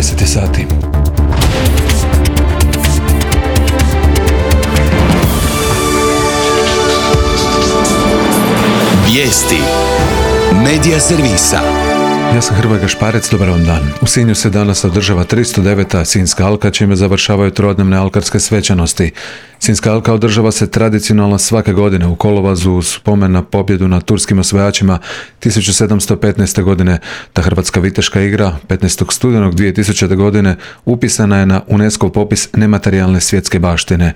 10 sati. Vijesti Medija servisa. Ja sam Hrvoje Gašparec, dobar vam dan. U Sinju se danas održava 309. Sinjska alka, čime završavaju trodnevne alkarske svečanosti. Sinjska alka održava se tradicionalno svake godine u kolovozu uz spomen na pobjedu nad turskim osvajačima 1715. godine. Ta hrvatska viteška igra 15. studenog 2000. godine upisana je na UNESCO popis nematerijalne svjetske baštine.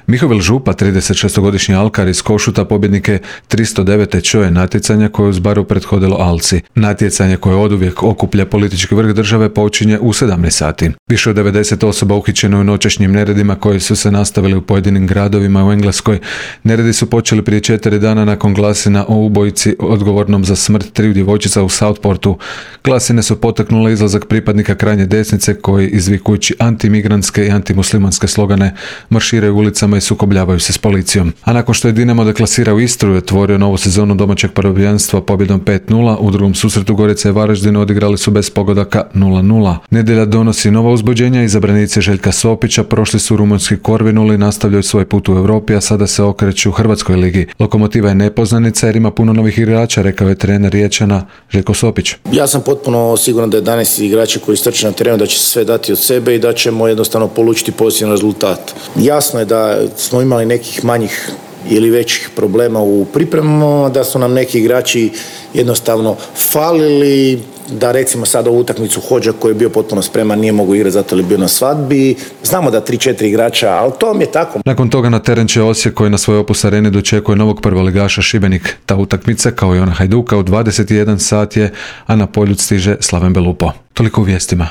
Mihovil Župa, 36-godišnji alkar iz Košuta, pobjednik je 309. čoje natjecanja koje uz baru prethodilo Alci. Natjecanje koje oduvijek okuplja politički vrh države počinje u 17 sati. Više od 90 osoba uhićeno u noćašnjim neredima koji su se nastavili u pojedinim gradovima u Engleskoj. Neredi su počeli prije 4 dana nakon glasina o ubojici odgovornom za smrt 3 djevojčica u Southportu. Glasine su potaknule izlazak pripadnika krajnje desnice koji, izvikujući antimigrantske i antimuslimanske slogane, marširaju ulicama i sukobljavaju se s policijom. A nakon što je Dinamo deklasirao Istru i otvorio novu sezonu domaćeg prvenstva pobjedom 5-0, u drugom susretu Gorica i Varaždin odigrali su bez pogodaka 0-0. Nedjelja donosi nova uzbuđenja, izabranici Željka Sopića prošli su rumunjski Korvinul i nastavljaju svoj put u Europi, a sada se okreću u Hrvatskoj ligi. Lokomotiva je nepoznanica jer ima puno novih igrača, rekao je trener Riječana Željko Sopić. Ja sam potpuno siguran da je 11 igrača koji strče na terenu, da će sve dati od sebe i da ćemo jednostavno polučiti pozitivan rezultat. Jasno je da smo imali nekih manjih ili većih problema u pripremama, da su nam neki igrači jednostavno falili, da recimo sad ovu utakmicu Hodža koji je bio potpuno spreman nije mogao igrati zato je bio na svadbi. Znamo da 3-4 igrača, ali to mi je tako. Nakon toga na teren će Osijek koji na svoj Opus areni dočekuje novog prvoligaša Šibenik. Ta utakmica kao i ona Hajduka u 21 sat je, a na Poljud stiže Slaven Belupo. Toliko u vijestima.